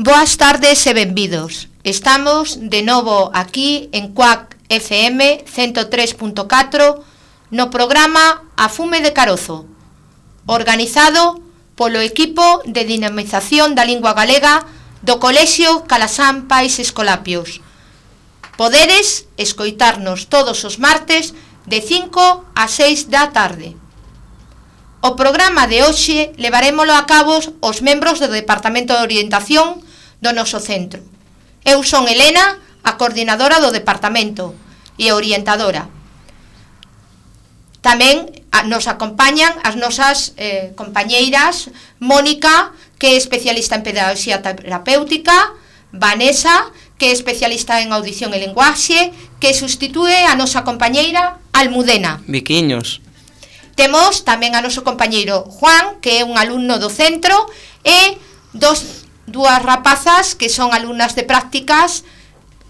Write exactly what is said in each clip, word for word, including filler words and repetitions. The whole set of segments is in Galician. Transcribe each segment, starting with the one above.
Boas tardes e benvidos. Estamos de novo aquí en Cuac F M ciento tres punto catro no programa A Fume de Carozo, organizado polo equipo de dinamización da lingua galega do Colexio Calasán Pais Escolapios. Podedes escoitarnos todos os martes de cinco a seis da tarde. O programa de hoxe levarémolo a cabo os membros do Departamento de Orientación do noso centro. Eu son Elena, a coordinadora do departamento e orientadora. Tamén nos acompañan as nosas eh, compañeiras Mónica, que é especialista en pedagogía terapéutica, Vanessa, que é especialista en audición e linguaxe, que sustitúe a nosa compañeira Almudena. Viquiños. Temos tamén a noso compañeiro Juan, que é un alumno do centro, e dos, dúas rapazas que son alumnas de prácticas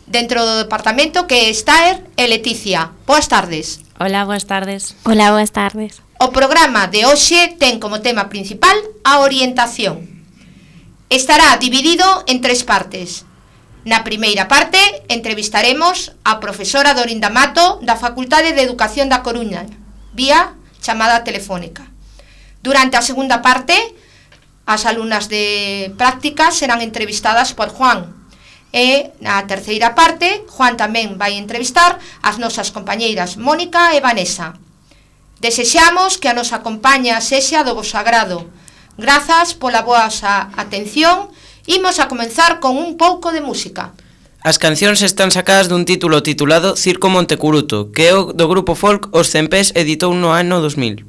dentro do departamento, que é Esther e Leticia. Boas tardes. Hola, boas tardes. Hola, boas tardes. O programa de hoxe ten como tema principal a orientación. Estará dividido en tres partes. Na primeira parte entrevistaremos a profesora Dorinda Mato da Facultade de Educación da Coruña, vía chamada telefónica. Durante a segunda parte, as alumnas de prácticas serán entrevistadas por Juan. E na terceira parte, Juan tamén vai entrevistar as nosas compañeiras Mónica e Vanessa. Desexamos que a nosa compañía sexa do vosso agrado. Grazas pola vosa atención. Imos a comenzar con un pouco de música. As cancións están sacadas dun título titulado Circo Montecuruto, que é o do grupo folk Os Cempés editou no ano dos mil.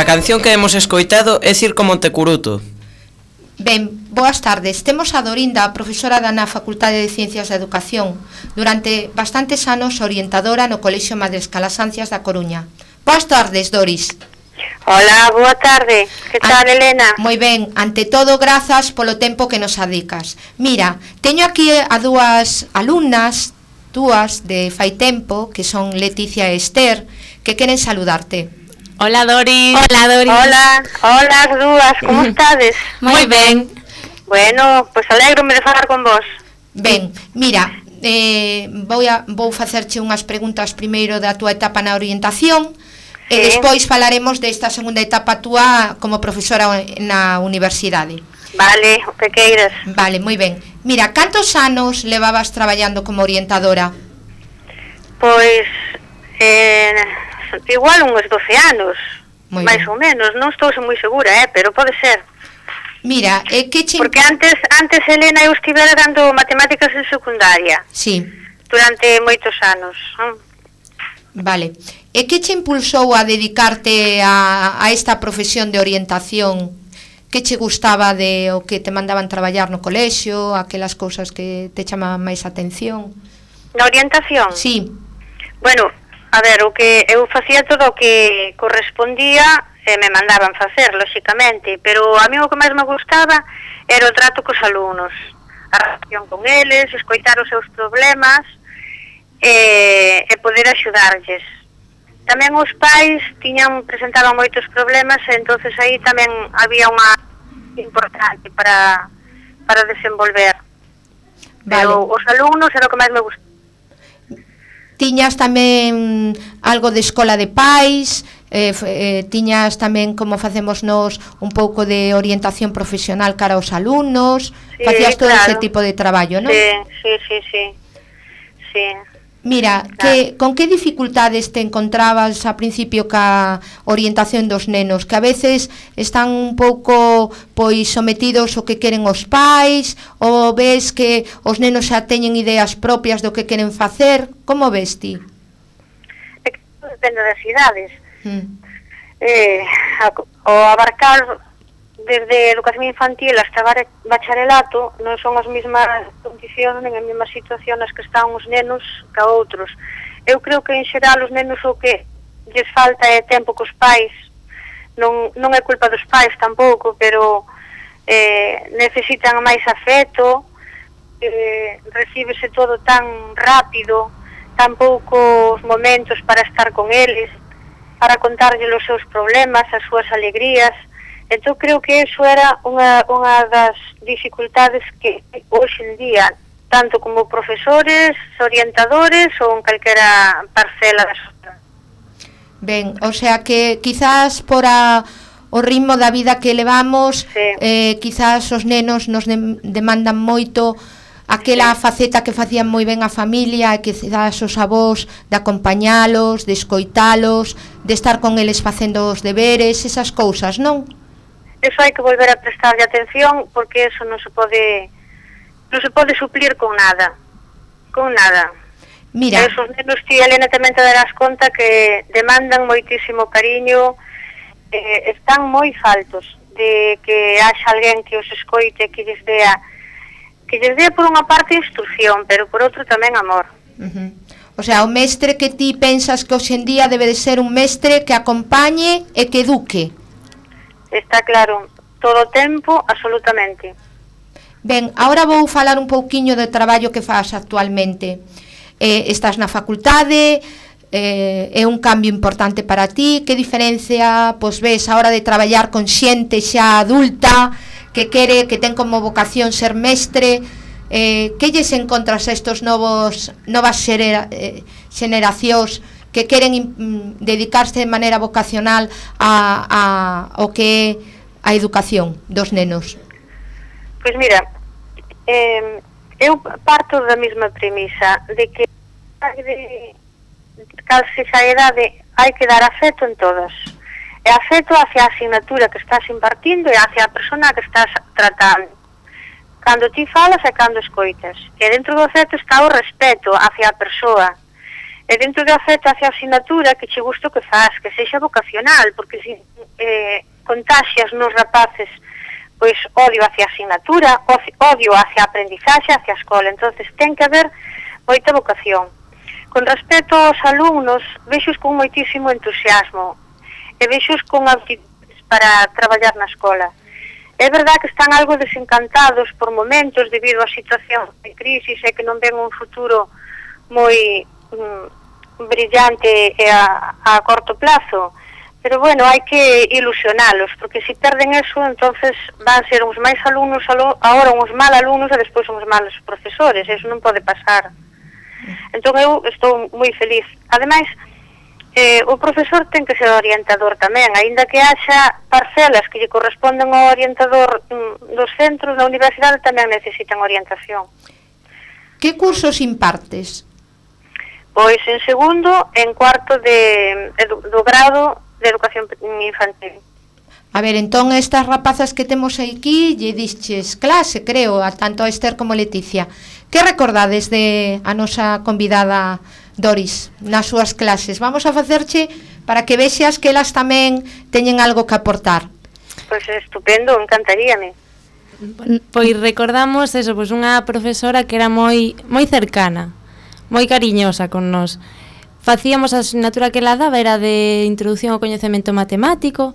A canción que hemos escoitado é Circo Montecuruto. Ben, boas tardes. Temos a Dorinda, profesora da na Facultade de Ciencias da Educación, durante bastantes anos orientadora no Colexio Madres Calasancias da Coruña. Boas tardes, Doris. Hola, boa tarde. Que tal, An Elena? Moi ben, ante todo, grazas polo tempo que nos adicas. Mira, teño aquí a dúas alumnas, dúas de fai tempo, que son Leticia e Esther, que queren saludarte. Hola, Doris. Hola, Doris. Hola, hola as dúas, como estades? Moi ben. Bueno, pois pues alégrome de falar con vos. Ben, mira, eh, vou, a, vou facerche unhas preguntas primeiro da túa etapa na orientación, sí. E despois falaremos desta segunda etapa túa como profesora na universidade. Vale, o que queiras. Vale, moi ben. Mira, cantos anos levabas traballando como orientadora? Pois, eh, igual uns doce anos, moi máis ben. Ou menos, non estou moi segura, eh, pero pode ser. Mira, eh, que che... Porque antes, antes Elena, eu estivera dando matemáticas en secundaria. Sí. Durante moitos anos. Vale. E que che impulsou a dedicarte a, a esta profesión de orientación? Que che gustaba de o que te mandaban traballar no colexio, aquelas cousas que te chamaban máis atención? Na orientación? Sí. Bueno, a ver, o que eu facía todo o que correspondía e me mandaban facer, lóxicamente, pero a mí o que máis me gustaba era o trato cos alumnos, a relación con eles, escoitar os seus problemas e, e poder axudarlles. Tamén os pais tiñan presentaban moitos problemas e entonces aí tamén había unha importante para, para desenvolver. Vale. Pero os alumnos era o que máis me gustaba. Tiñas tamén algo de escola de pais, eh, eh, tiñas tamén, como facemos nós, un pouco de orientación profesional cara aos alumnos, sí, facías todo claro. Ese tipo de traballo, non? Sí, sí, sí, sí. Sí. Mira, claro. que, con que dificultades te encontrabas a principio ca orientación dos nenos? Que a veces están un pouco pois sometidos ao que queren os pais, ou ves que os nenos xa teñen ideas propias do que queren facer? Como ves ti? É que depende das idades. Mm. Eh, o abarcar desde educación infantil hasta bacharelato non son as mesmas condicións nen as mesmas situacións nas que están os nenos que outros. Eu creo que en xeral os nenos o que lles falta é tempo cos pais, non, non é culpa dos pais tampouco, pero eh, necesitan máis afeto, eh, recíbese todo tan rápido, tan poucos momentos para estar con eles, para contarlle os seus problemas, as súas alegrías. Entón creo que eso era unha, unha das dificultades que hoxe en día, tanto como profesores, orientadores ou en calquera parcela da sociedade. Ben, o sea que quizás por a, o ritmo da vida que levamos, sí. eh, quizás os nenos nos de, demandan moito aquela sí. faceta que facían moi ben a familia, e que quizás os avós de acompañalos, de escoitalos, de estar con eles facendo os deberes, esas cousas, non? Eso hai que volver a prestarlle atención, porque eso non se pode non se pode suplir con nada, con nada. Mira, esos nenos, ti, Elena, tamén te darás conta que demandan moitísimo cariño, eh, están moi faltos de que haxa alguén que os escoite, que lles dea, que lles dea por unha parte instrucción, pero por outro tamén amor. Uh-huh. O sea, o mestre que ti pensas que hoxe en día debe de ser un mestre que acompañe e que eduque. Está claro, todo o tempo, absolutamente. Ben, agora vou falar un pouquiño do traballo que faz actualmente. Eh, estás na facultade, eh, é un cambio importante para ti. Que diferencia, pois ves, a hora de traballar con xente xa adulta, que quere, que ten como vocación ser mestre? Eh, que lles encontras a estos novos, novas xera, eh, xeneracións que queren mm, dedicarse de maneira vocacional a, a o que é a educación dos nenos? Pois mira, eh, eu parto da mesma premisa de que de, cal sexa a idade hai que dar afeto en todas, e afeto hacia a asignatura que estás impartindo e hacia a persona que estás tratando, cando ti falas e cando escoitas, e dentro do afeto está o respeto hacia a persoa, e dentro do afecto hacia a asignatura que che gusto que faz, que sexa vocacional, porque se eh, contaxias nos rapaces pois odio hacia a asignatura, odio hacia a aprendizaxe, hacia a escola, entonces ten que haber moita vocación. Con respecto aos alumnos, vexos con moitísimo entusiasmo, e vexos con aptitudes para traballar na escola. É verdad que están algo desencantados por momentos debido á situación de crisis e que non ven un futuro moi brillante e a, a corto plazo, Pero bueno, hai que ilusionalos, porque se perden eso, entonces van ser uns máis alumnos, agora uns mal alumnos e despois uns malos profesores, eso non pode pasar. Entón eu estou moi feliz. Ademais, eh, o profesor ten que ser orientador tamén, aínda que haxa parcelas que lle corresponden ao orientador mm, dos centros, na universidade tamén necesitan orientación. Que cursos impartes? Pois en segundo, en cuarto de, edu, do grado de educación infantil. A ver, entón estas rapazas que temos aquí lle dixes clase, creo, a tanto a Esther como Leticia. Que recordades de a nosa convidada Doris nas súas clases? Vamos a facerche para que vexas que elas tamén teñen algo que aportar. Pois estupendo, encantaríame. Pois recordamos eso, pois unha profesora que era moi moi cercana, moi cariñosa con nós. Facíamos a asignatura que ela daba, era de introducción ao coñecemento matemático,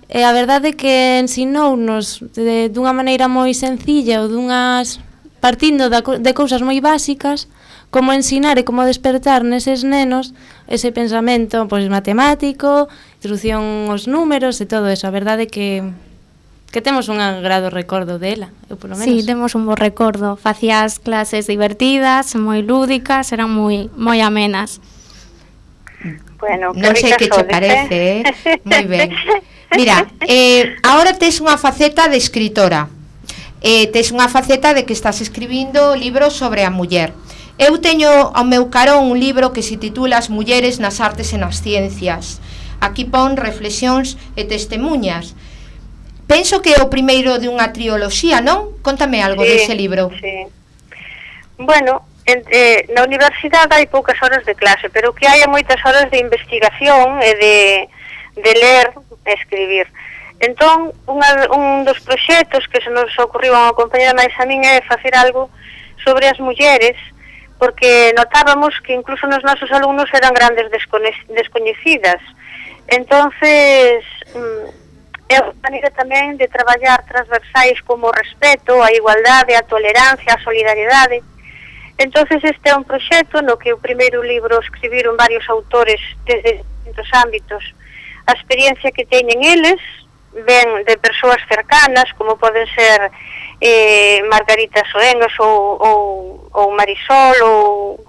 e a verdade é que ensinounos de, dunha maneira moi sencilla ou dunhas partindo da, de cousas moi básicas, como ensinar e como despertar neses nenos ese pensamento pois matemático, introducción aos números e todo eso. A verdade é que que temos un agrado recordo dela, eu polo menos. Sí, temos un bo recordo. Facías clases divertidas, moi lúdicas, eran moi moi amenas. Bueno, non sei que che parece, eh? Moi ben. Mira, eh, agora tes unha faceta de escritora. Eh, tes unha faceta de que estás escribindo libros sobre a muller. Eu teño ao meu carón un libro que se titula As mulleres nas artes e nas ciencias. Aquí pon reflexións e testemunhas. Penso que é o primeiro de unha trioloxía, non? Contame algo sí, dese libro. Sí. Bueno, en, eh, na universidade hai poucas horas de clase, pero que hai moitas horas de investigación e de, de ler e escribir. Entón, unha, un dos proxectos que se nos ocorriu a unha compañera máis a min é facer algo sobre as mulleres, porque notábamos que incluso nos nosos alumnos eran grandes descoñecidas. Entonces, é unha maneira tamén de traballar transversais como o respeto, a igualdade, a tolerancia, a solidariedade. Entonces este é un proxecto no que o primeiro libro escribiron varios autores desde distintos ámbitos. A experiencia que teñen eles ven de persoas cercanas, como poden ser eh, Margarita Soengas ou, ou, ou Marisol, ou...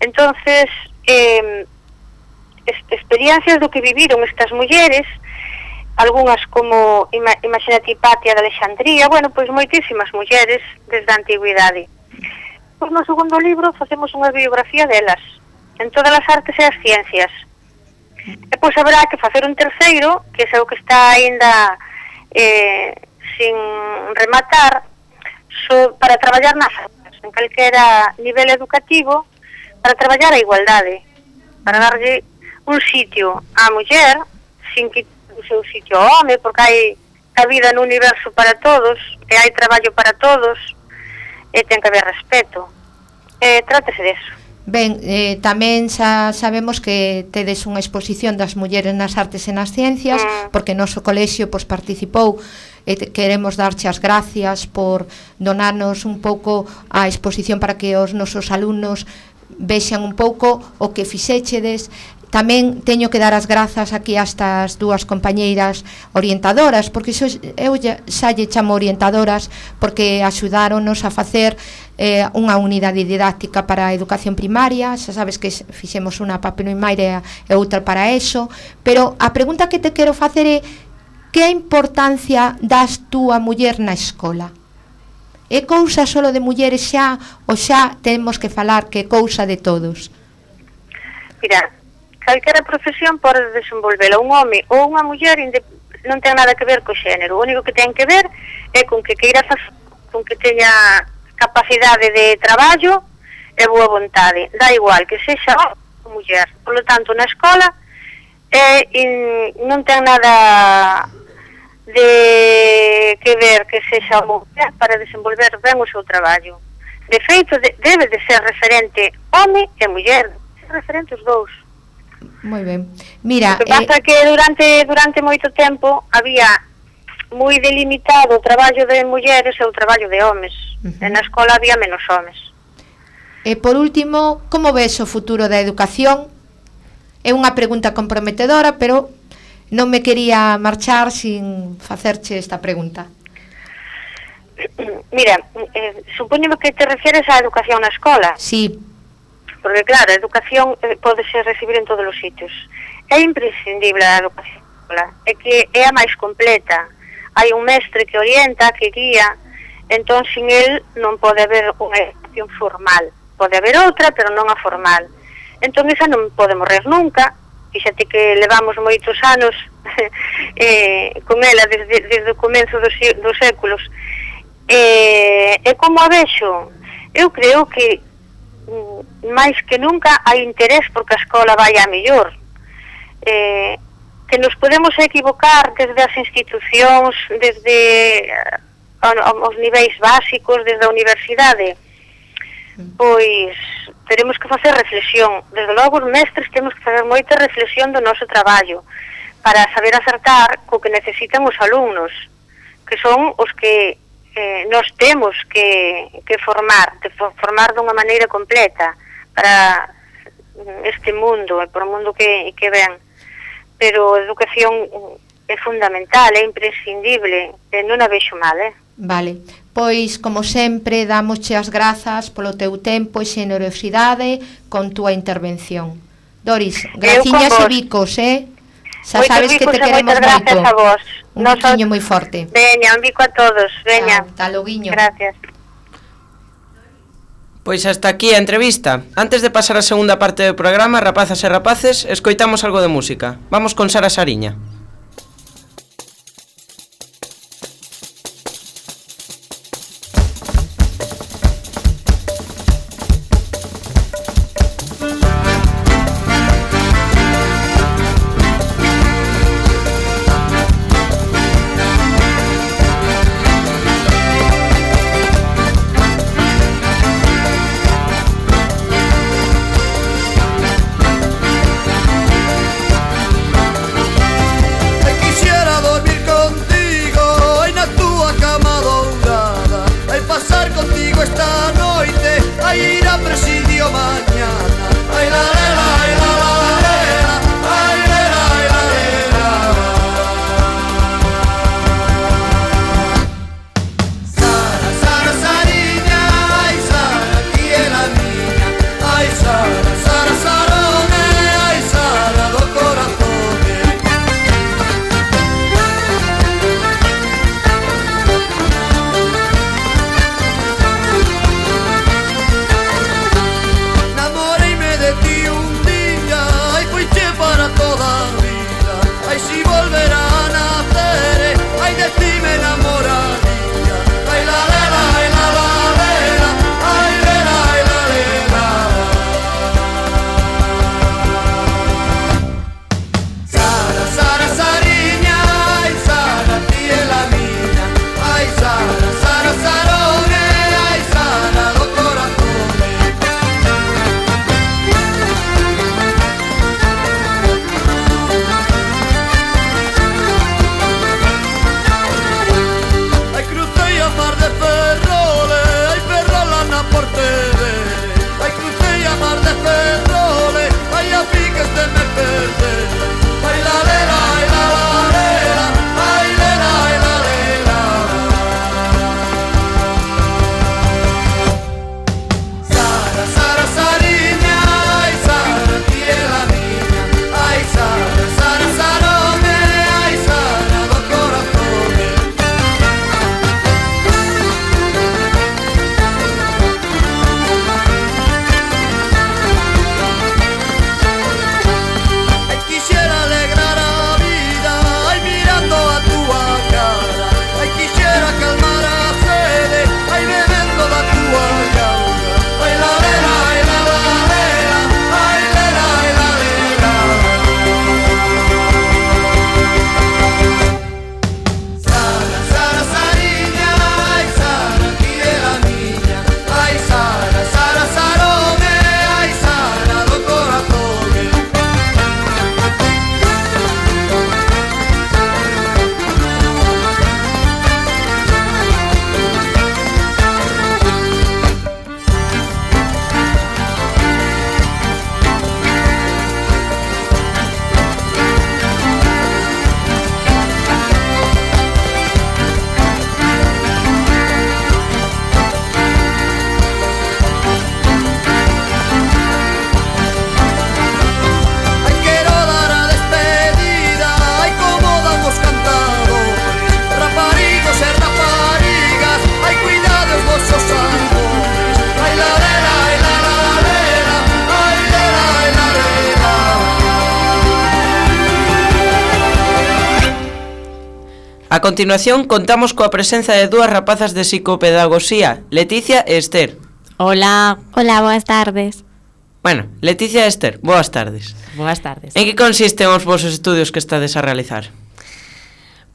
entonces eh, experiencias do que viviron estas mulleres, algunhas como ima, imagínate Hipatia de Alexandría, bueno, pois moitísimas mulleres desde a antigüidade. Pois no segundo libro facemos unha biografía delas, en todas as artes e as ciencias. E pois haberá que facer un terceiro, que é o que está aínda eh, sin rematar, so, para traballar nas artes, en calquera nivel educativo, para traballar a igualdade, para darlle un sitio á muller, sin que o seu sitio ao home, porque hai a vida no universo para todos, e hai traballo para todos, e ten que haber respeto. Eh, trátese deso. Ben, eh, tamén xa sabemos que tedes unha exposición das mulleres nas artes e nas ciencias, mm. porque o noso colexio pois, participou e te, queremos darche as gracias por donarnos un pouco a exposición para que os nosos alumnos vexan un pouco o que fixéchedes. Tamén teño que dar as grazas aquí a estas dúas compañeiras orientadoras, porque xo, eu xa lle chamo orientadoras porque axudáronos a facer eh, unha unidade didáctica para a educación primaria. Xa sabes que fixemos unha para primaria e outra para eso, pero a pregunta que te quero facer é que importancia das tú a muller na escola? É cousa solo de mulleres xa ou xa temos que falar que é cousa de todos? Mira, calquera profesión pode desenvolvela un home ou unha muller, non ten nada que ver co xénero. O único que ten que ver é con que queira facer, con que teña capacidade de traballo e boa vontade. Dá igual que sexa home ou muller. Por lo tanto, na escola é, in, non ten nada de que ver que sexa muller para desenvolver ben o seu traballo. De feito, de, debe de ser referente home e muller, ser referente os dous. Moi ben. Mira, o que pasa é eh... que durante durante moito tempo había moi delimitado o traballo de mulleres e o traballo de homes. Uh-huh. E na escola había menos homes. E por último, como ves o futuro da educación? É unha pregunta comprometedora, pero non me quería marchar sin facerche esta pregunta. Mira, eh, supoño que te refieres á educación na escola. Sí. Porque claro, a educación eh, podese recibir en todos os sitios. É imprescindible a educación na escola, é que é a máis completa. Hai un mestre que orienta, que guía, entón sin el non pode haber unha educación formal. Pode haber outra, pero non a formal. Entón esa non pode morrer nunca. Fíxate que levamos moitos anos eh, con ela desde, desde o comenzo dos, dos séculos. E, e como a vexo, eu creo que máis que nunca hai interés porque a escola vai a mellor. Eh, que nos podemos equivocar desde as institucións, desde uh, os niveis básicos, desde a universidade, pois teremos que facer reflexión. Desde logo os mestres temos que facer moita reflexión do noso traballo para saber acertar co que necesitan os alumnos, que son os que eh, nos temos que, que formar, de formar dunha maneira completa para este mundo e por o mundo que, que ven. Pero a educación é fundamental, é imprescindible, e non a vexo mal, eh? Vale, pois, como sempre, damosche as grazas polo teu tempo e xenerosidade con túa intervención. Doris, graciñas e bicos, eh? Xa sabes que te queremos moito. A vos. Un biquiño moi forte. Veña, un bico a todos, veña. Hasta loguiño. Gracias. Pois hasta aquí a entrevista. Antes de pasar a segunda parte do programa, rapazas e rapaces, escoitamos algo de música. Vamos con Sara Sariña. Thank continuación contamos coa presenza de dúas rapazas de psicopedagogía, Leticia e Esther. Hola. Hola, boas tardes. Bueno, Leticia e Esther, boas tardes. Boas tardes. En que consisten os vosos estudios que estades a realizar?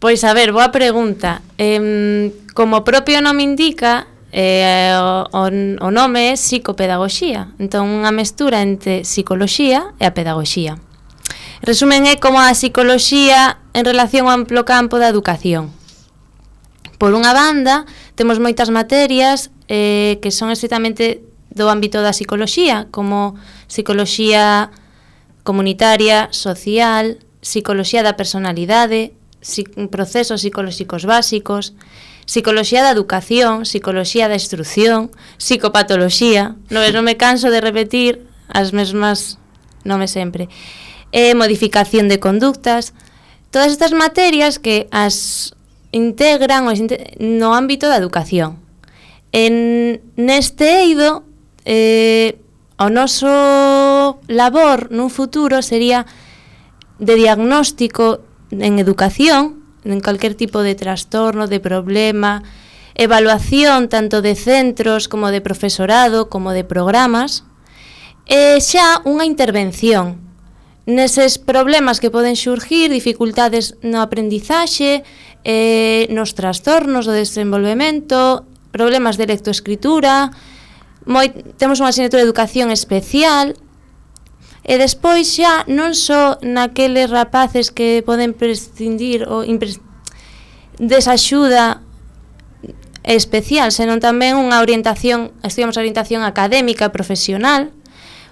Pois a ver, boa pregunta. Eh, como o propio nome indica, eh, o, o nome é psicopedagogía. Entón, unha mestura entre psicoloxía e a pedagogía. Resumen, é como a psicoloxía en relación ao amplo campo da educación. Por unha banda, temos moitas materias eh, que son estrictamente do ámbito da psicoloxía, como psicoloxía comunitaria, social, psicoloxía da personalidade, procesos psicolóxicos básicos, psicoloxía da educación, psicoloxía da instrucción, psicopatoloxía, non, non me canso de repetir as mesmas nomes sempre, e modificación de conductas, todas estas materias que as integran no ámbito da educación. En neste eido, eh, o noso labor nun futuro sería de diagnóstico en educación, en calquer tipo de trastorno, de problema, evaluación tanto de centros como de profesorado, como de programas, e xa unha intervención neses problemas que poden xurgir, dificultades no aprendizaxe, eh, nos trastornos do desenvolvemento, problemas de lectoescritura, moi, temos unha asignatura de educación especial, e despois xa non só naqueles rapaces que poden prescindir ou impres, desa axuda especial, senón tamén unha orientación, estudiamos orientación académica, profesional,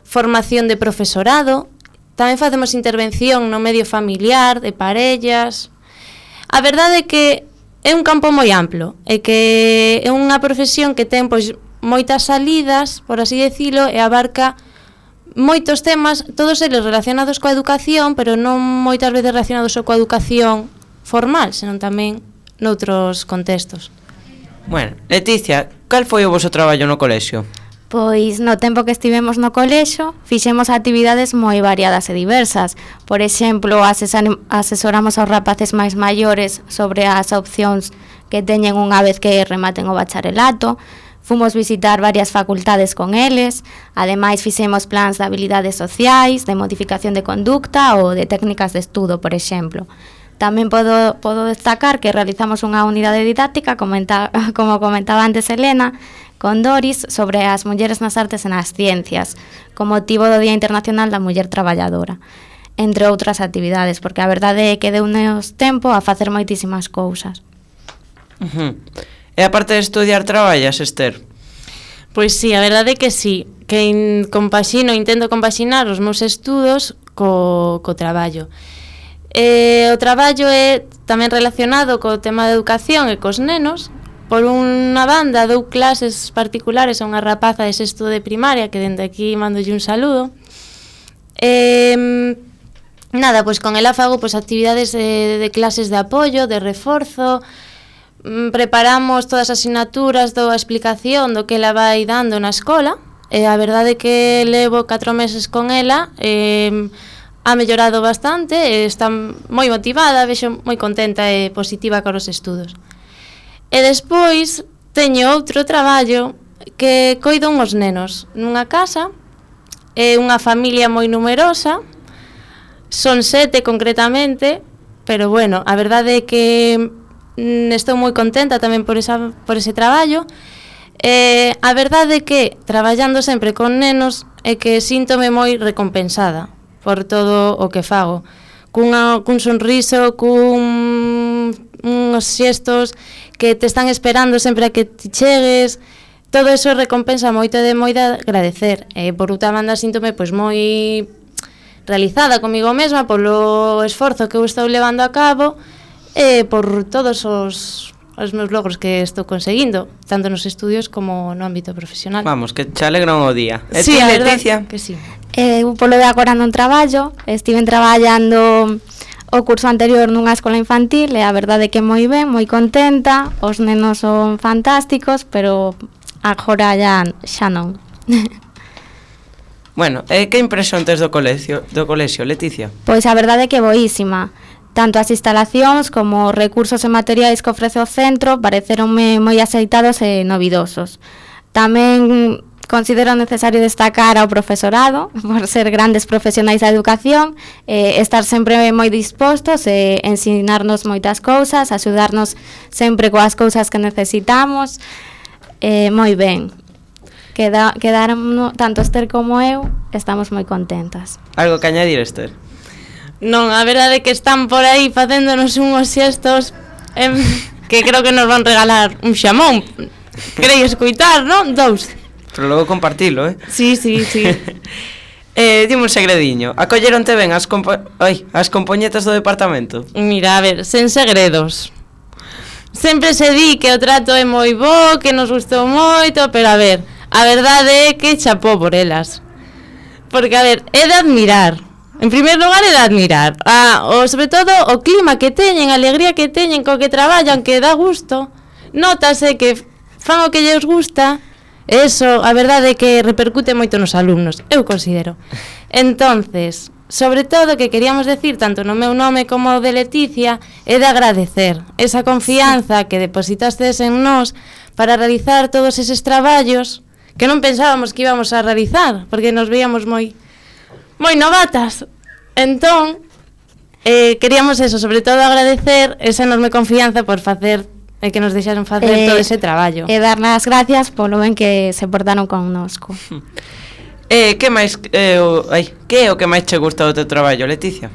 formación de profesorado, tamén facemos intervención no medio familiar, de parellas. A verdade é que é un campo moi amplo, e que é unha profesión que ten pois moitas salidas, por así decirlo, e abarca moitos temas, todos eles relacionados coa educación, pero non moitas veces relacionados só coa educación formal, senón tamén noutros contextos. Bueno, Leticia, cal foi o voso traballo no colexio? Pois no tempo que estivemos no colexo fixemos actividades moi variadas e diversas. Por exemplo, asesoramos aos rapaces máis maiores sobre as opcións que teñen unha vez que rematen o bacharelato. Fomos visitar varias facultades con eles. Ademais fixemos plans de habilidades sociais, de modificación de conducta ou de técnicas de estudo, por exemplo. Tamén podo, podo destacar que realizamos unha unidade didáctica, comenta, como comentaba antes Elena, con Doris, sobre as mulleres nas artes e nas ciencias, con motivo do Día Internacional da Muller Traballadora, entre outras actividades, porque a verdade é que deu-nos tempo a facer moitísimas cousas. Uh-huh. E aparte de estudiar, traballas, Esther? Pois sí, a verdade é que sí, que in, compaxino, intento compaxinar os meus estudos co, co traballo. Eh, o traballo é tamén relacionado co tema de educación e cos nenos. Por unha banda dou clases particulares a unha rapaza de sexto de primaria, que dende aquí mandolle un saludo. Eh, nada, pois con ela fago pois, actividades de, de clases de apoio, de reforzo, mm, preparamos todas as asignaturas, dou a explicación do que ela vai dando na escola, e a verdade é que levo catro meses con ela, e ha mellorado bastante, e está moi motivada, vexo moi contenta e positiva con os estudos. E despois teño outro traballo que coido uns nenos nunha casa, é unha familia moi numerosa, son sete concretamente, pero bueno, a verdade é que mm, estou moi contenta tamén por, esa, por ese traballo. E a verdade é que traballando sempre con nenos é que síntome moi recompensada por todo o que fago, cunha, cun sonriso, cun uns xestos que te están esperando sempre a que te chegues, todo eso recompensa moito de moi de agradecer. E por outra banda síntome pois moi realizada comigo mesma polo esforzo que eu estou levando a cabo e por todos os, os meus logros que estou conseguindo, tanto nos estudios como no ámbito profesional. Vamos, que te alegran o día. E sí, ti, Leticia? Que sí. Eu polo de agora non traballo, estiven traballando o curso anterior nunha escola infantil e a verdade é que moi ben, moi contenta, os nenos son fantásticos, pero agora ya, xa non. Bueno, e que impresión tes do colexio, do colexio, Leticia? Pois a verdade é que boísima. Tanto as instalacións como os recursos e materiais que ofrece o centro pareceronme moi aceitados e novidosos. Tamén considero necesario destacar ao profesorado por ser grandes profesionais da educación, eh, estar sempre moi dispostos e eh, ensinarnos moitas cousas, axudarnos sempre coas cousas que necesitamos. Eh, moi ben. Queda, quedaron tanto Esther como eu, estamos moi contentas. Algo que añadir, Esther? Non, a verdade é que están por aí facéndonos unhos xestos eh, que creo que nos van regalar un xamón. Queréis escoitar, non? Dous. Pero logo compartilo, eh? Sí, sí, sí. eh, dime un segredinho. Acolleronte ben as, compo Ai, as compoñetas do departamento? Mira, a ver, sen segredos. Sempre se di que o trato é moi bo, que nos gustou moito, pero a ver, a verdade é que chapó por elas. Porque, a ver, é de admirar. En primeiro lugar é de admirar. Ah, o, sobre todo o clima que teñen, a alegría que teñen co que traballan, que dá gusto. Nótase que fan o que lles gusta. Eso, a verdade é que repercute moito nos alumnos, eu considero. Entonces, sobre todo que queríamos decir, tanto no meu nome como o de Leticia, é de agradecer esa confianza sí. que depositastes en nós para realizar todos eses traballos que non pensábamos que íbamos a realizar, porque nos veíamos moi moi novatas. Entón, eh, queríamos eso, sobre todo agradecer esa enorme confianza por facer e que nos deixaron facer eh, todo ese traballo. E dar as gracias polo ben que se portaron connosco. Eh, que máis eh, o, ai, que é o que máis che gusta do teu traballo, Leticia?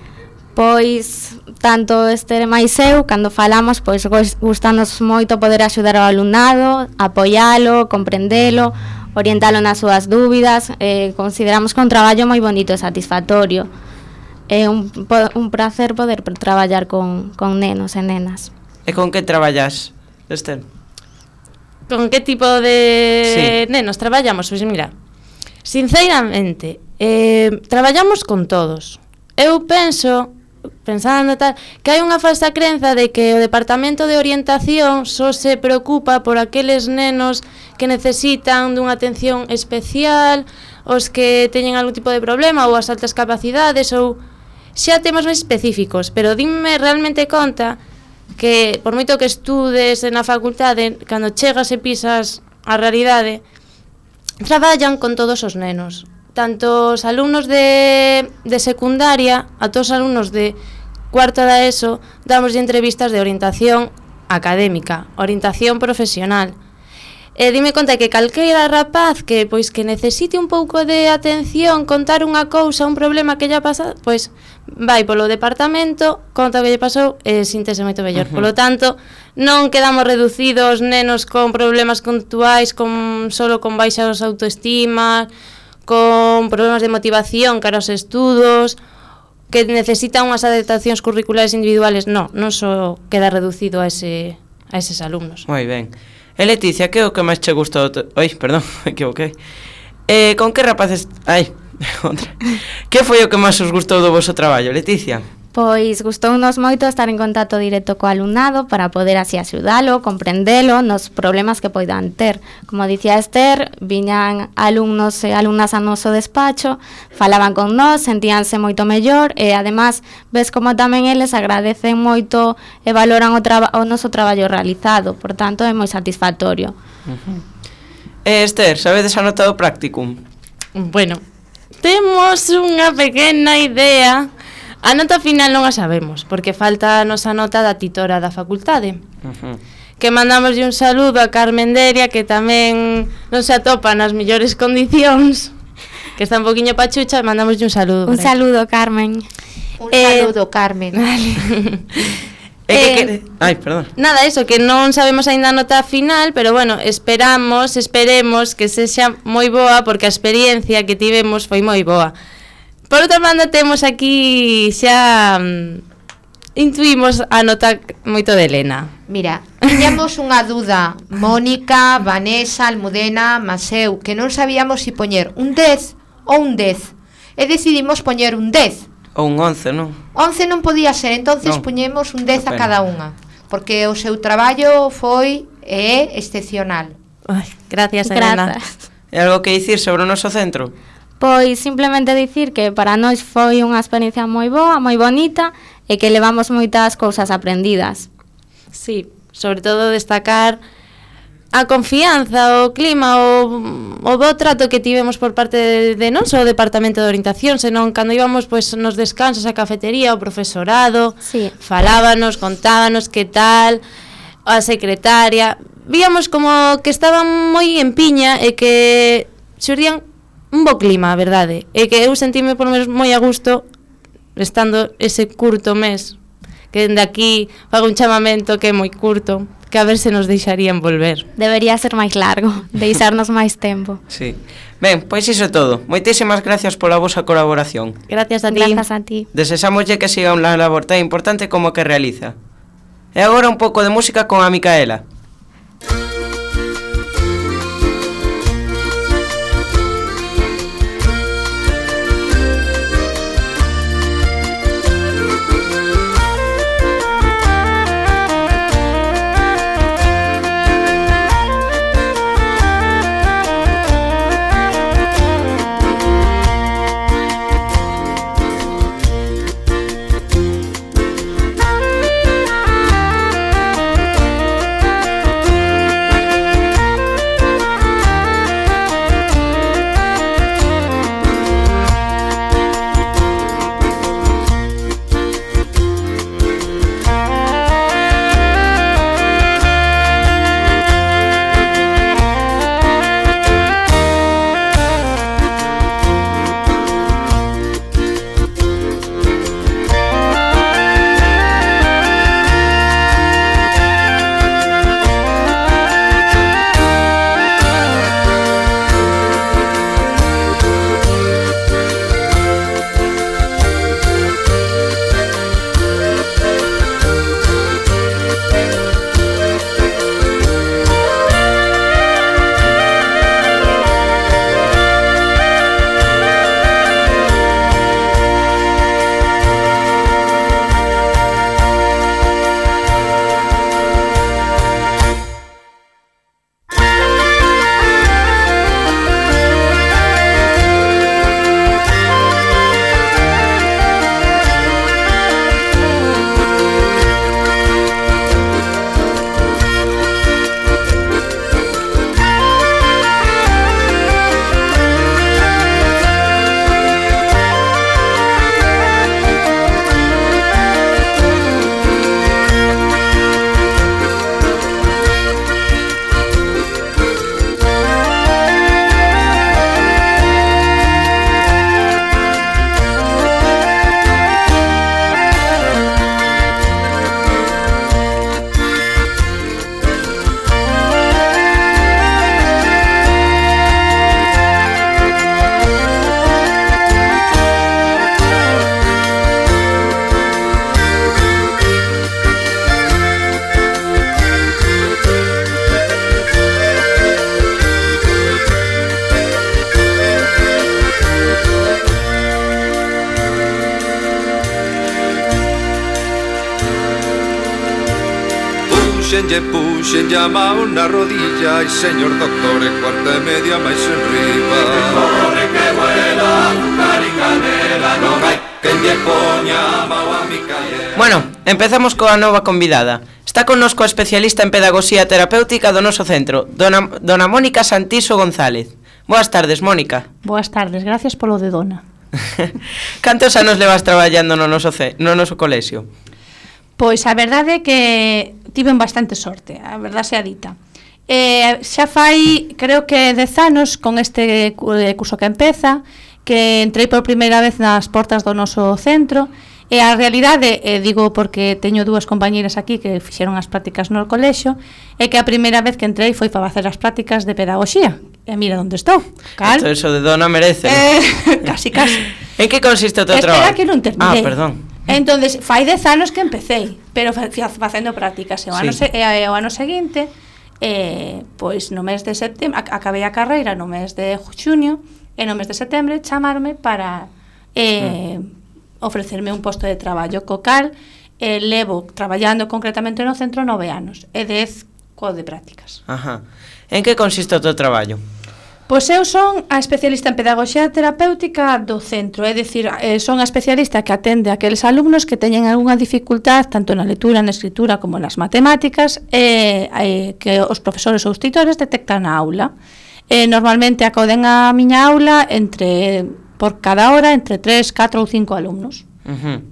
Pois tanto Esther e máis eu, cando falamos, pois gustanos moito poder axudar ao alumnado, apoialo, comprendelo, orientalo nas súas dúbidas. Eh, consideramos que é un traballo moi bonito e satisfactorio. É un, un placer poder traballar con, con nenos e nenas. E con que traballas, Esther? Con que tipo de sí. nenos traballamos? Pois mira, sinceramente, eh, traballamos con todos. Eu penso, pensando tal, que hai unha falsa crenza de que o departamento de orientación só se preocupa por aqueles nenos que necesitan dunha atención especial, os que teñen algún tipo de problema ou as altas capacidades, ou xa temos máis específicos, pero dime realmente conta que por moito que estudes na facultade, cando chegas e pisas a realidade, traballan con todos os nenos, tanto os alumnos de, de secundaria a todos os alumnos de cuarto da ESO. Damos entrevistas de orientación académica, orientación profesional. E dime conta que calqueira rapaz que pois que necesite un pouco de atención, contar unha cousa, un problema que lle pasa, pois vai polo departamento, conta o que lle pasou e síntese moito mellor. Uh-huh. Polo tanto, non quedamos reducidos nenos con problemas conductuais, con solo con baixas autoestima, con problemas de motivación cara aos estudos, que necesitan unhas adaptacións curriculares individuales. Non, non só queda reducido a ese a eses alumnos. Moi ben. E Leticia, que é o que máis che gustou? Oi, perdón, me equivoquei. Eh, con que rapaces... Ai, outra. Que foi o que máis os gustou do vosso traballo, Leticia? Pois gustounos moito estar en contacto directo co alumnado para poder así axudalo, comprendelo nos problemas que poidan ter. Como dicía Esther, viñan alumnos e alumnas a noso despacho, falaban con nós, sentíanse moito mellor e además ves como tamén eles agradecen moito e valoran o, o noso traballo realizado, por tanto é moi satisfactorio. Uh-huh. Eh, Esther, sabedes a nota do practicum? Bueno, temos unha pequena idea. A nota final non a sabemos, porque falta a nosa nota da titora da facultade. Uh-huh. Que mandamos un saludo a Carmen Deria, que tamén non se atopa nas mellores condicións, que está un poquinho pachucha, e mandamos un saludo. Un saludo, Carmen. Un eh, saludo, Carmen. Vale. Eh, eh, que, que, ai, perdón. Nada, eso, que non sabemos aínda a nota final, pero bueno, esperamos, esperemos que sexa moi boa, porque a experiencia que tivemos foi moi boa. Por outra banda, temos aquí xa um, intuimos a nota moito de Elena. Mira, tiñamos unha dúda, Mónica, Vanessa, Almudena, Maseu, que non sabíamos se si poñer un dez ou un dez. E decidimos poñer un dez. Ou un once, non? once non podía ser, entonces non. Poñemos un dez a cada unha, porque o seu traballo foi e é excepcional. Ai, gracias, Elena. E algo que dicir sobre o noso centro? Pois simplemente dicir que para nós foi unha experiencia moi boa, moi bonita e que levamos moitas cousas aprendidas. Sí, sobre todo destacar a confianza, o clima, o, o bo trato que tivemos por parte de, de non só o Departamento de Orientación, senón cando íbamos pues, nos descansos á cafetería, o profesorado, Sí. falábanos, contábanos que tal, a secretaria, víamos como que estaban moi en piña e que xurdían un bo clima, a verdade, e que eu sentíme por lo menos moi a gusto estando ese curto mes, que dende aquí fago un chamamento que é moi curto, que a ver se nos deixarían volver. Debería ser máis largo, deixarnos máis tempo. Sí. Ben, pois iso é todo. Moitísimas gracias pola vosa colaboración. Gracias a ti. Grazas a ti. Desesámoslle que siga unha labor tan importante como a que realiza. E agora un pouco de música con a Micaela. Puxenlle, puxenlle a mao na rodilla e señor doctor, e cuarta e media máis enriba. Corre que vuela, azúcar e canela, non hai quen lle poña a mao a Micaela. Bueno, empezamos coa nova convidada. Está connosco a especialista en pedagogía terapéutica do noso centro, dona, dona Mónica Santiso González. Boas tardes, Mónica. Boas tardes, gracias polo de dona. Cantos anos levas traballando no noso, ce, no noso colexio? Pois a verdade é que tiven bastante sorte, a verdade sea dita. Eh, xa fai, creo que dez anos, con este curso que empeza, que entrei por primeira vez nas portas do noso centro, e a realidade, eh, digo porque teño dúas compañeiras aquí que fixeron as prácticas no colexio, é que a primeira vez que entrei foi para facer as prácticas de pedagogía. E mira onde estou. Cal? Esto eso de dona merece. Eh, casi, casi. En que consiste o teu Espera traballo? que non terminei. Ah, perdón. Entonces, fai dez anos que empecei, pero fa, facendo prácticas. E o, Sí. ano, se, e o ano seguinte, eh, pois no mes de setembro, acabei a carreira no mes de xuño, e no mes de setembro chamarme para eh, mm. ofrecerme un posto de traballo co cal eh, levo traballando concretamente no centro nove anos e dez co de prácticas. Ajá. En que consiste o teu traballo? Pois eu son a especialista en pedagogía terapéutica do centro, é dicir, son a especialista que atende a aqueles alumnos que teñen algunha dificultad tanto na lectura, na escritura como nas matemáticas e, e que os profesores ou os tutores detectan na aula. E, normalmente acoden a miña aula entre por cada hora entre tres, catro ou cinco alumnos. Uh-huh.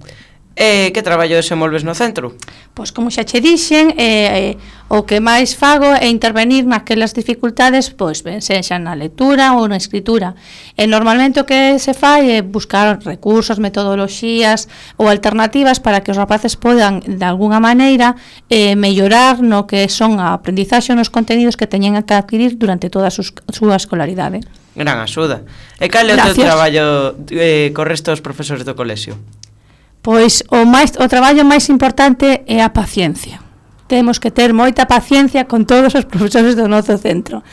E que traballo desenvolves no centro? Pois como xa che dixen, eh, o que máis fago é intervenir naquelas dificultades, pois ben sexa na lectura ou na escritura. E normalmente o que se fai é buscar recursos, metodoloxías ou alternativas para que os rapaces podan de alguna maneira eh, mellorar no que son a aprendizaxe nos contenidos que teñen que adquirir durante toda a súa escolaridade. Gran axuda. E cal é o teu traballo eh, co resto dos profesores do colexio? Pois o máis o traballo máis importante é a paciencia. Temos que ter moita paciencia con todos os profesores do noso centro.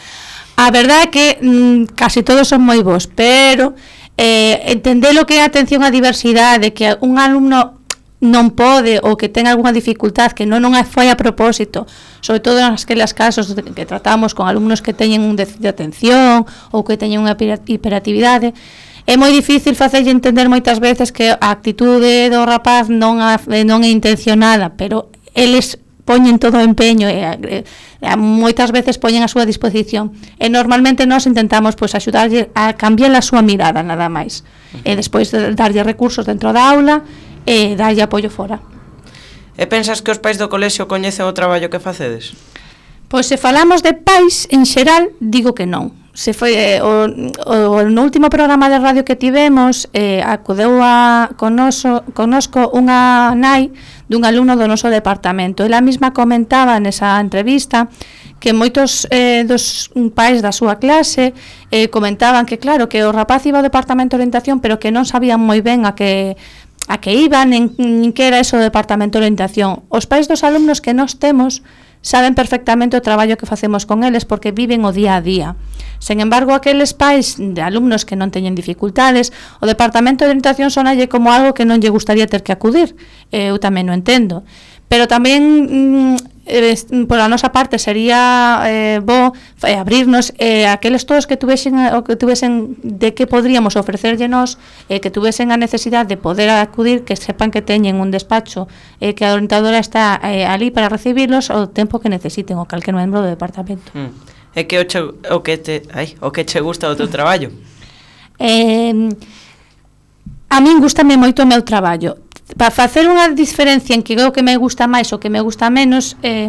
A verdade é que mm, casi todos son moi bons, pero eh, entender o que é a atención á diversidade, que un alumno non pode ou que ten algunha dificultad que non, non foi a propósito, sobre todo nas aqueles casos que tratamos con alumnos que teñen un déficit de atención ou que teñen unha hiperactividade, é moi difícil facerlle entender moitas veces que a actitude do rapaz non, a, non é intencionada, pero eles poñen todo o empeño e, e, e moitas veces poñen a súa disposición. E normalmente nós intentamos pois axudarlle a cambiar a súa mirada nada máis. Uh-huh. E despois de darlle recursos dentro da aula e darlle apoio fora. E pensas que os pais do colexio coñecen o traballo que facedes? Pois se falamos de pais en xeral, digo que non. Se foi eh, o, o, no último programa de radio que tivemos eh, acudeu a conoso, conosco unha nai dun alumno do noso departamento. Ela mesma comentaba nesa entrevista que moitos eh, dos pais da súa clase eh, comentaban que claro, que o rapaz iba ao departamento de orientación pero que non sabían moi ben a que a que iban, nin, nin que era eso do departamento de orientación. Os pais dos alumnos que nós temos saben perfectamente o traballo que facemos con eles porque viven o día a día. Sen embargo, aqueles pais de alumnos que non teñen dificultades, o departamento de orientación sonalle como algo que non lle gustaría ter que acudir. Eu tamén o entendo. Pero tamén mm, eh, por a nosa parte sería eh, bo eh, abrirnos eh, aqueles todos que tuvesen o que tuvesen de que podríamos ofrecerlle nós, eh, que tuvesen a necesidade de poder acudir, que sepan que teñen un despacho, eh, que a orientadora está eh, ali para recibirlos o tempo que necesiten o calquer membro do departamento. Mm. É que o, che, o que te, ai, o que che gusta do teu traballo? Eh, a min gustame moito o meu traballo. Para facer unha diferencia en que o que me gusta máis ou que me gusta menos eh,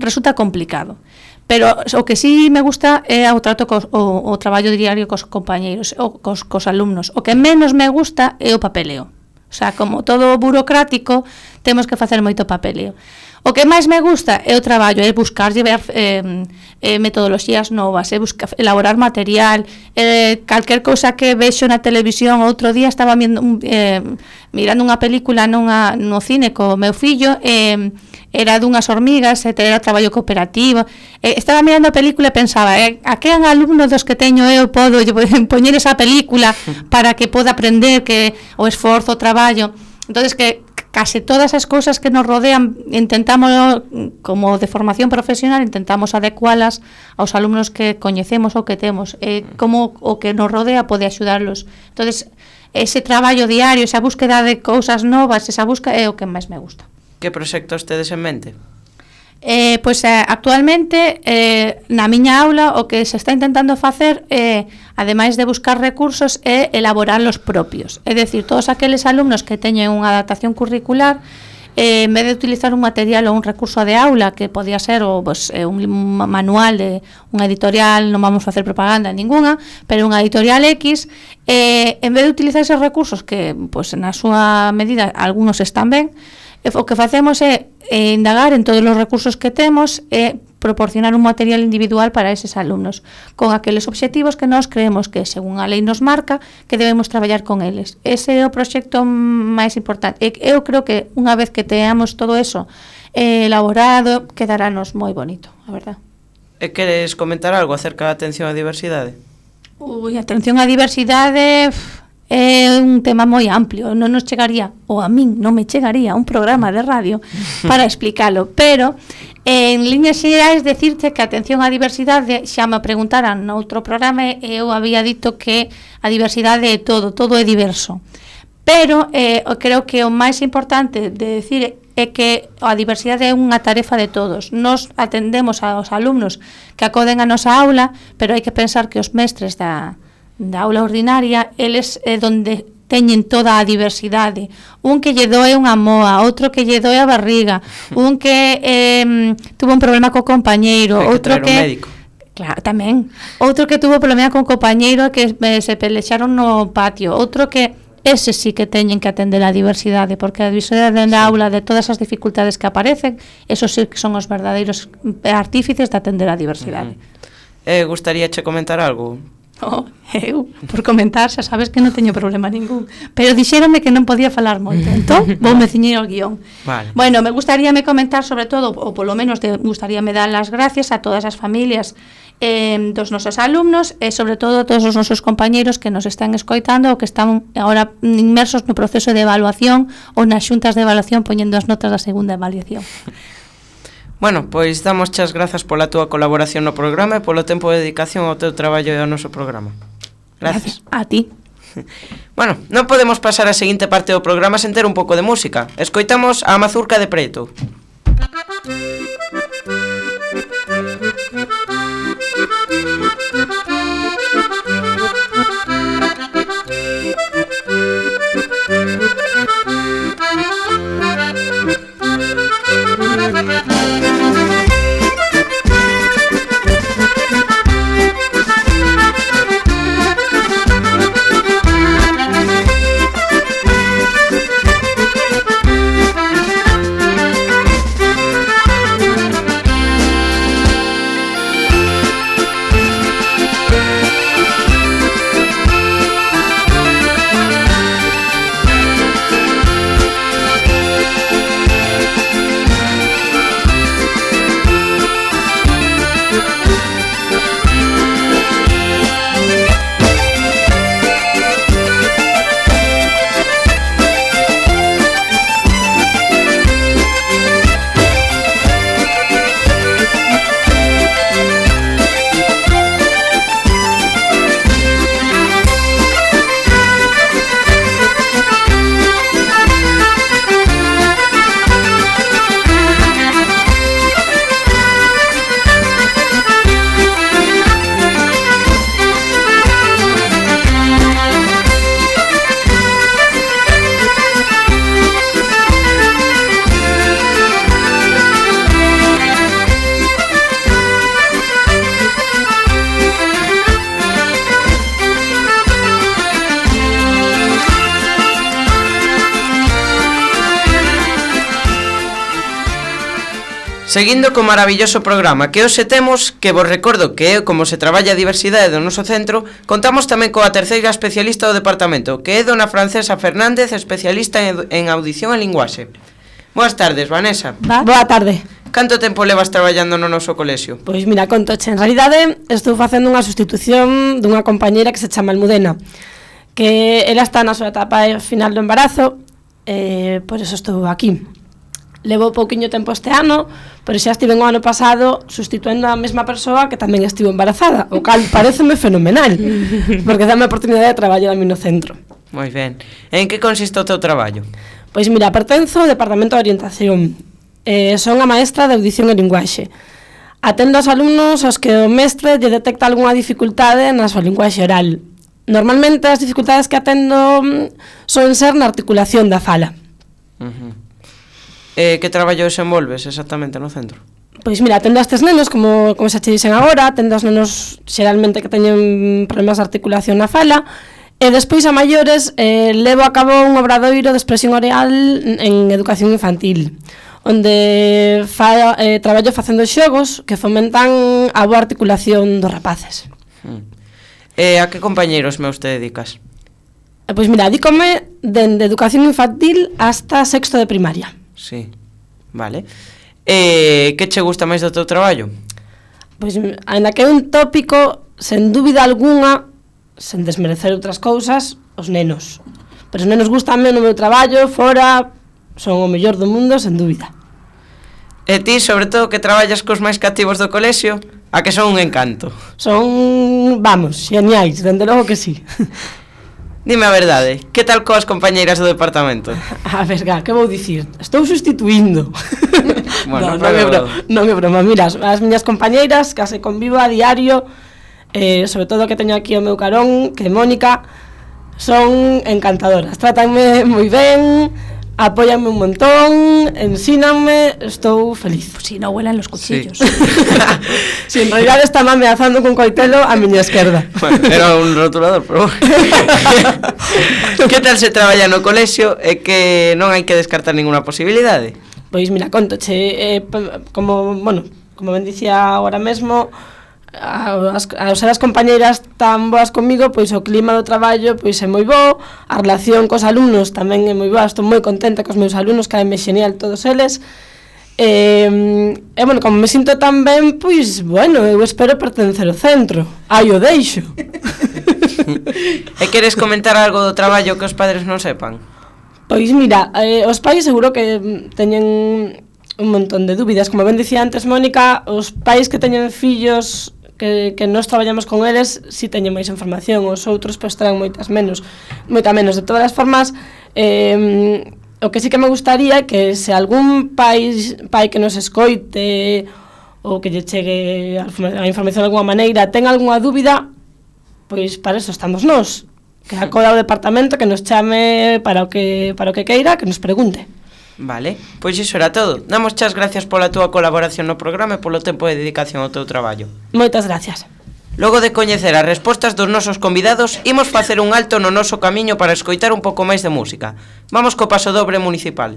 resulta complicado. Pero o que sí me gusta é o trato cos, o, o traballo diario cos compañeiros, o, cos, cos alumnos. O que menos me gusta é o papeleo. O sea, como todo burocrático, temos que facer moito papeleo. O que máis me gusta é o traballo, é buscar ver eh, eh, metodoloxías novas, é buscar, elaborar material, eh, calquer cousa que vexo na televisión. Outro día estaba viendo, eh, mirando unha película nunha, no cine co meu fillo, eh, era dunhas hormigas, era traballo cooperativo, eh, estaba mirando a película e pensaba, eh, a que alumnos dos que teño eu podo poñer esa película para que poda aprender que o esforzo, o traballo. Entonces que case todas as cousas que nos rodean intentamos, como de formación profesional, intentamos adecualas aos alumnos que coñecemos ou que temos, eh, como o que nos rodea pode axudarlos. Entonces, ese traballo diario, esa búsqueda de cousas novas, esa busca é o que máis me gusta. Que proxectos tedes en mente? Eh, pois eh, actualmente eh, na miña aula o que se está intentando facer é, eh, ademais de buscar recursos, é elaborar los propios. É dicir, todos aqueles alumnos que teñen unha adaptación curricular, eh, en vez de utilizar un material ou un recurso de aula que podía ser o, pues, eh, un manual de unha editorial, non vamos a facer propaganda ninguna, pero unha editorial X, eh, en vez de utilizar esos recursos que pues, na súa medida algunos están ben, o que facemos é eh, indagar en todos os recursos que temos e proporcionar un material individual para eses alumnos, con aqueles obxectivos que nós creemos que, según a lei nos marca, que debemos traballar con eles. Ese é o proxecto máis importante. E eu creo que unha vez que teamos todo eso eh, elaborado, quedarános moi bonito, a verdad. E queres comentar algo acerca da atención á diversidade? Ui, a atención á diversidade... Pff, é un tema moi amplio, non nos chegaría, ou a min non me chegaría un programa de radio para explicalo, pero En líneas xerais, decirte que a atención á diversidade xa me preguntaran noutro programa e eu había dito que a diversidade é todo, todo é diverso. Pero eh, creo que o máis importante de decir é que a diversidade é unha tarefa de todos. Nos atendemos aos alumnos que acoden a nosa aula, pero hai que pensar que os mestres da, da aula ordinaria, eles é donde teñen toda a diversidade. Un que lle doe unha moa, outro que lle doe a barriga, un que eh, tuvo un problema co compañeiro, Hai que outro traer un que... médico. Claro, tamén. Outro que tuvo problema con compañeiro que eh, se pelexaron no patio, outro que ese sí que teñen que atender a diversidade, porque a diversidade na aula de todas as dificultades que aparecen, esos sí que son os verdadeiros artífices de atender a diversidade. Uh-huh. Eh, gustaríache comentar algo? Oh, eu, por comentar, xa sabes que non teño problema ningún, pero dixéronme que non podía falar moito, entón voume ciñer ao guión. Vale. Bueno, me gustaríame comentar sobre todo, ou polo menos de, gustaríame dar as gracias a todas as familias eh, dos nosos alumnos e sobre todo a todos os nosos compañeiros que nos están escoitando ou que están agora inmersos no proceso de evaluación ou nas xuntas de evaluación poñendo as notas da segunda evaluación. Bueno, pois damos chas grazas pola túa colaboración no programa e polo tempo de dedicación ao teu traballo e ao noso programa. Gracias. A ti. Bueno, non podemos pasar a seguinte parte do programa sen ter un pouco de música. Escoitamos a Mazurca de Preto. Seguindo co maravilloso programa que hoxe temos, que vos recordo que é como se traballa a diversidade do noso centro, contamos tamén coa terceira especialista do departamento, que é dona Francesa Fernández, especialista en, en audición e linguaxe. Boas tardes, Vanessa. Va? Boa tarde. Canto tempo levas traballando no noso colexio? Pois mira, contoche, en realidade estou facendo unha sustitución dunha compañeira que se chama Almudena, que ela está na súa etapa final do embarazo, e por eso estou aquí. Levo pouquiño tempo este ano, pero xa estive o ano pasado sustituendo a mesma persoa que tamén estivo embarazada, o cal pareceme fenomenal, porque dame a oportunidade de traballar a mí no centro. Moi ben. En que consiste o teu traballo? Pois mira, pertenzo ao Departamento de Orientación. Eh, son a maestra de audición e linguaxe. Atendo aos alumnos aos que o mestre lle detecta algunha dificultade na súa linguaxe oral. Normalmente as dificultades que atendo son ser na articulación da fala. Uh-huh. Eh, que traballo desenvolves exactamente no centro? Pois mira, atendo a estes nenos, como, como xa che dixen agora, atendo aos nenos xeralmente que teñen problemas de articulación na fala, e despois a maiores eh, levo a cabo un obradoiro de expresión oral en educación infantil, onde fa, eh, traballo facendo xogos que fomentan a boa articulación dos rapaces. Hmm. E a que compañeiros meus te dedicas? Eh, pois mira, dícome dende educación infantil hasta sexto de primaria. Sí, vale. E que che gusta máis do teu traballo? Pois, ainda que é un tópico, sen dúbida algunha, sen desmerecer outras cousas, os nenos. Pero os nenos gustanme no meu traballo, fora, son o mellor do mundo, sen dúbida. E ti, sobre todo, que traballas cos máis cativos do colexio, a que son un encanto. Son, vamos, xeniais, dende logo que sí. Dime a verdade, que tal coas compañeiras do departamento? A ver, ga, que vou dicir? Estou sustituindo. Bueno, no, pero... non, é broma, non é broma, mira, as, as miñas compañeiras, case convivo a diario, eh, sobre todo que teño aquí o meu carón, que é Mónica, son encantadoras, tratanme moi ben, apóianme un montón, ensínanme, estou feliz. Pues si no huelan los cuchillos. Sí. Si en realidad está ameazando con coitelo a miña esquerda. Bueno, era un rotulador, pero... Que tal se traballa no colexio e que non hai que descartar ninguna posibilidade? Pois mira, contoche, eh, como, bueno, como ben dicía agora mesmo, as, as, as compañeiras tan boas comigo, pois o clima do traballo pois é moi bo, a relación cos alumnos tamén é moi boa, estou moi contenta cos meus alumnos, caenme xenial todos eles. E, e bueno, como me sinto tan ben, pois, bueno, eu espero pertencer ao centro. Aí o deixo. E queres comentar algo do traballo que os padres non sepan? Pois mira, eh, os pais seguro que teñen un montón de dúbidas. Como ben dicía antes Mónica, os pais que teñen fillos que, que nós traballamos con eles si teñen máis información, os outros pois terán moitas menos, moita menos. De todas as formas, eh, o que sí que me gustaría é que se algún pai, pai que nos escoite ou que lle chegue a información de alguma maneira ten algunha dúbida, pois para eso estamos nós, que acoda ao departamento, que nos chame para o que para o que queira, que nos pregunte. Vale, pois iso era todo. Damos chas gracias pola túa colaboración no programa e polo tempo de dedicación ao teu traballo. Moitas gracias. Logo de coñecer as respostas dos nosos convidados, imos facer un alto no noso camiño para escoitar un pouco máis de música. Vamos co paso dobre municipal.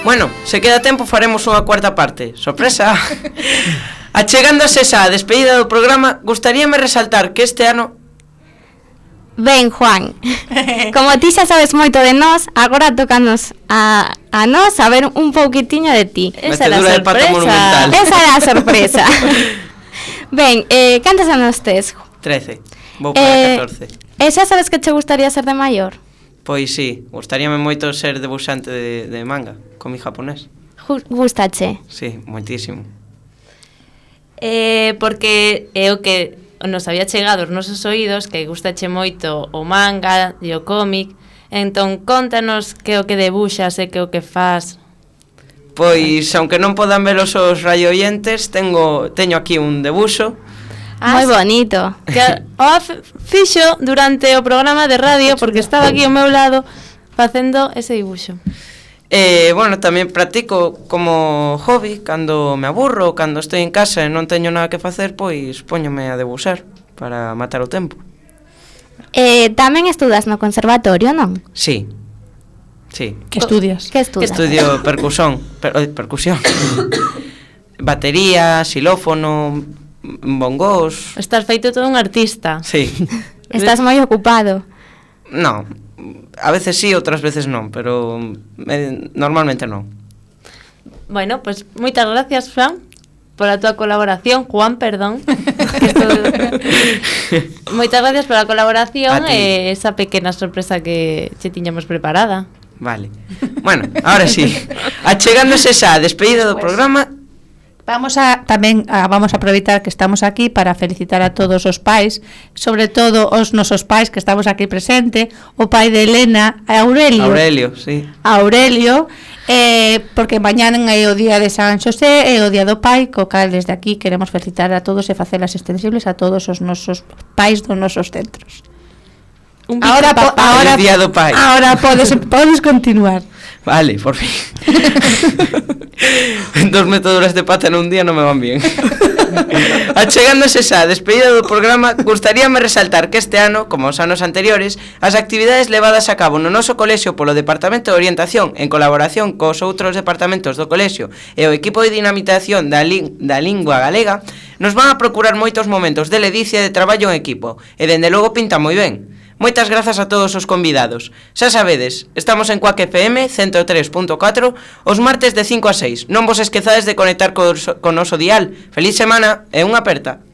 Bueno, se queda tempo faremos unha cuarta parte. Sorpresa. Achegándose xa a despedida do programa, gustaríame resaltar que este ano... Ben, Juan, como ti xa sabes moito de nós, agora tocanos a, a nós saber un pouquitiño de ti. Esa era a sorpresa. Esa era a sorpresa. Ben, eh, cantos anos tes? trece. Vou para eh, catorce. E xa sabes que che gustaría ser de maior? Pois sí, gustaríame moito ser debuxante de, de manga, comi japonés. Gustache? Sí, moitísimo. Eh, porque é o que nos había chegado aos nosos oídos, que gustache moito o manga e o cómic. Entón, contanos que o que debuxas e que o que faz. Pois, aunque non podan ver os os radioyentes, tengo, teño aquí un debuxo. Ah, moi bonito. Que o fixo durante o programa de radio, porque estaba aquí ao meu lado facendo ese dibuxo. Eh, bueno, tamén practico como hobby, cando me aburro, cando estou en casa e non teño nada que facer, pois póñome a debuxar para matar o tempo. Eh, tamén estudas no conservatorio, non? Sí. Sí. Que estudias? Que estudas? Estudio percusión, per, percusión. batería, xilófono, bongos... Estás feito todo un artista. Sí. Estás moi ocupado. No, a veces sí, outras veces non, pero eh, normalmente non. Bueno, pues moitas gracias, Juan, pola tua colaboración, Juan, perdón. Esto... moitas gracias pola colaboración e esa pequena sorpresa que che tiñamos preparada. Vale. Bueno, ahora sí. Achegándose xa a despedida do programa. Vamos a tamén a, vamos a aproveitar que estamos aquí para felicitar a todos os pais, sobre todo os nosos pais que estamos aquí presente, o pai de Elena, a Aurelio. Aurelio, sí. A Aurelio, eh, porque mañana é o día de San Xosé, é o día do pai, co cal desde aquí queremos felicitar a todos e facelas extensibles a todos os nosos pais dos nosos centros. Un ahora po, ahora día do pai. Ahora podes podes continuar. Vale, por fin. Dos metaduras de pata nun día non me van bien. Achegándose xa a despedida do programa, gustaríame resaltar que este ano, como os anos anteriores, as actividades levadas a cabo no noso colexio polo Departamento de Orientación en colaboración cos outros departamentos do colexio e o equipo de dinamitación da, li da lingua galega nos van a procurar moitos momentos de ledicia e de traballo en equipo e dende logo pinta moi ben. Moitas grazas a todos os convidados. Xa sabedes, estamos en Cuac F M ciento tres punto catro os martes de cinco a seis. Non vos esquezades de conectar co, co noso dial. Feliz semana e unha aperta.